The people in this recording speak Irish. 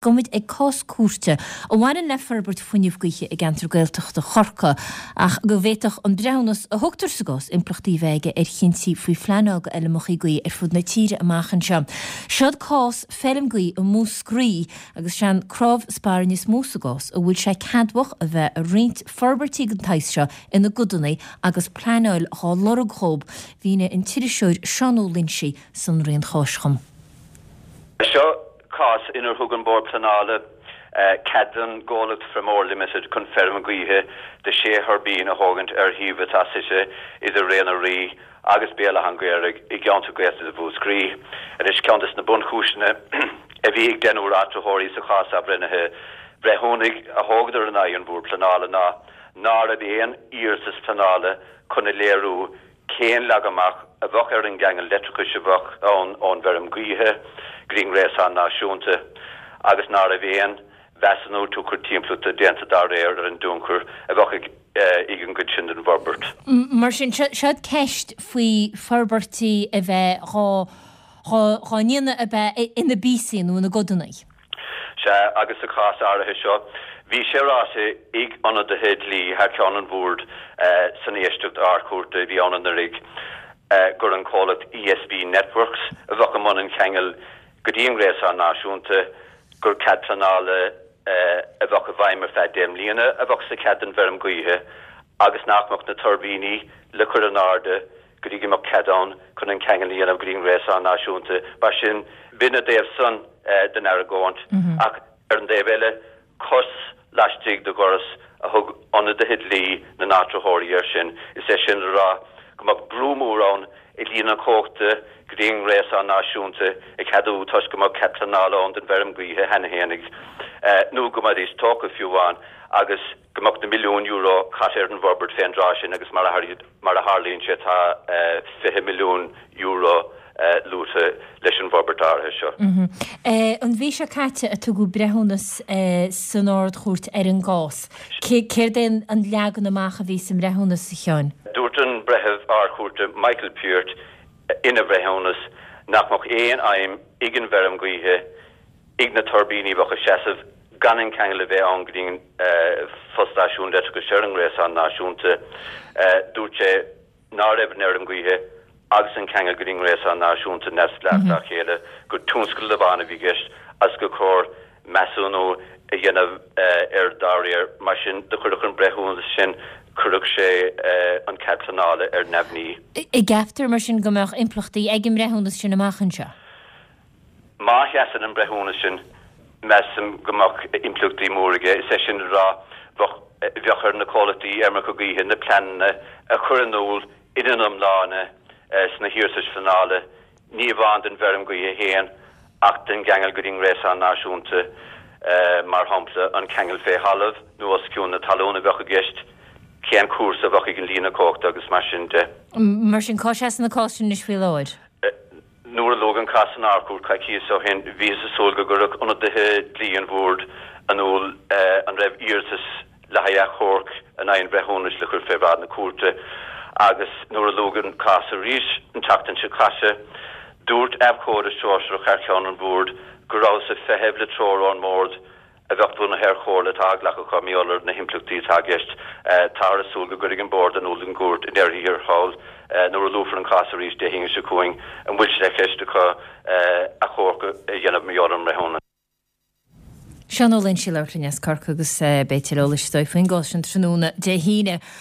Gabhfaimid ag cás cúirte a bhaineann le forbairt fuinnimh gaoithe i gceantar Gaeltachta Chorcaí ach go bhféadfadh an breithiúnas a thugtar sa gcás impleachtaí a bheith aige ar chinntí faoi phleanáil d'fheirmeacha gaoithe ar fud na tíre amach anseo. Seod cás feirm gaoithe i Múscraí agus sé an cnámh spairne is mó sa gcás an bhfuil sé ceadmhach a bheith ag roinnt forbairtí den tsaghas seo ina gcodanna agus pleanáil dhá lorg dhób. Mhínigh an t-iriseoir Seán Ó Loinsigh sonraí an cháis dhom. Seo cás inar thug an Bord Pleanála cead don gcomhlacht Fermor Limited chun feirm ghaoithe de 6 thuirbín a thógaint ar shuíomh atá suite idir Ré na Rí agus Béal Átha an Ghaorthaidh i gceantar Gaeltachta Mhúscraí. Anois, ceann des na bunchúiseanna a bhí ag deichniúr áitritheoirí sa chás athbhreithnithe breithiúnaigh a thógadar in aghaidh an Bhoird Pleanála ná ná raibh aon iarratas pleanála chun a léiriú Cén leagan amach a bheadh ar an gceangal leictreachais a bheadh ann ón bhfeirm gaoithe go dtí an ngréasán náisiúnta agus ná raibh aon mheasúnú tionchair timpeallachta déanta dá réir ar an dtionchar a bheadh ag an gcuid sin den bhforbairt? Mar sin, seod ceist faoi forbairtí a bheith dhá ndéanamh ab ea ina bpíosaí nó ina gcodanna. Sea, agus sa chás áirithe seo, bhí sé ráite ag ionadaithe dlí thar ceann an Bhoird san éisteacht Ard-Chúirte a bhí ann anuraidh gur an comhlacht ESB Networks a bheadh i mbun an cheangail go dtí an ngréasán náisiúnta, gur cead pleanála a bheadh i bhfeidhm ar feadh 10 mbliana a bheadh sa chead don bhfeirm ghaoithe agus nach mbeadh na tuirbíní le cur in airde go dtí go mbeadh cead ann chun an ceangal a dhéanamh go dtí an ngréasán náisiúnta. Mar sin, b'in a dtaobh san den argóint. Ach ar an dtaobh eile, cos laistigh de dhoras a thug ionadaithe dlí na n-áitritheoirí air sin, is é sin le rá go mbeadh brú mór ann i líne cumhachta go dtí an ngréasán náisiúnta a cheadú toisc go mbeadh cead pleanála ann don bhfeirm gaoithe cheana fhéinig, nó go mbeidís tógtha fiú amháin, agus go mbeadh na milliúin euro caite ar an bhforbairt fén dtráth sin agus mar a Mar a tharlaíonn sé tá €20 milliún luaite leis an bhforbairt áirithe seo. An mhí seo caite a tugadh breithiúnas san Ard-Chúirt ar an gcás. Céard é an leagan amach a bhí sa mbreithiúnas, a Sheáin? Dúirt an Breitheamh Ard-Chúirte Michael Peart ina bhreithiúnas nach mbeadh aon fheidhm ag an bhfeirm ghaoithe ag na tuirbíní a bheadh ag seasamh gan an ceangal a bheith ann go dtí an fostáisiún leictreachais ar an ngréasán náisiúnta. Dúirt sé ná raibh an fheirm gaoithe agus an ceangal go dtí an ngréasán náisiúnta neamhspleách dá chéile, gur tionscadal amháin a bhí i gceist agus gur chóir measúnú a dhéanamh air dá réir. Mar sin, do chuirfeadh an breithiúnas sin, chuirfeadh sé an cead pleanála ar neamhní. An gceaptar, mar sin, go mbeadh impleachtaí ag an mbreithiúnas sin amach anseo? Má sheasann an breithiúnas sin, measaim go mbeadh impleachtaí mór aige, is é sin le rá, bheadh bheadh ar na comhlachtaí fheirmeacha gaoithe na pleananna a chur in iúl ina n-iomláine sna hiarratais phleanála, ní amháin don bhfeirm ghaoithe féin ach don gceangal go dtí an ngréasán náisiúnta, mar shampla, an ceangal fé thalamh nó os cionn na talún a bheadh i gceist, cén cúrsa a bheadh ag an líne cumhachta agus mar sin de. Mar sin, cá seasann an cás sin anois faoi láthair? Nuair a luadh an cás san Ard-Chúirt coicíos ó shin, bhíothas ag súil go gcuirfeadh ionadaithe dlí an Bhoird in iúl an raibh iarratas le haghaidh achomharc in aghaidh an bhreithiúnais le cur fé bhráid na cúirte agus nuair a luadh an cás arís an tseachtain seo caite, dúirt abhcóide sóisearach thar ceann an Bhoird go rabhthas ag feitheamh le treoir ón mBord a bheadh bunaithe ar chomhairle atá á glacadh acu mar gheall ar na himpleachtaí atá i gceist. Táthar ag súil go gcuirfidh an Bord in iúl don gcúirt i ndeireadh thiar thall, nuair a luafar an cás arís Dé hAoine seo chugainn, an bhfuil sé i gceist acu achomharc a dhéanamh mar gheall ar an mbreithiúnas. Seán Ó Loinsigh ag labhairt linn as Corcaigh agus beidh tuilleadh eolais is dóigh faoin gcás sin tráthnóna Dé hAoine.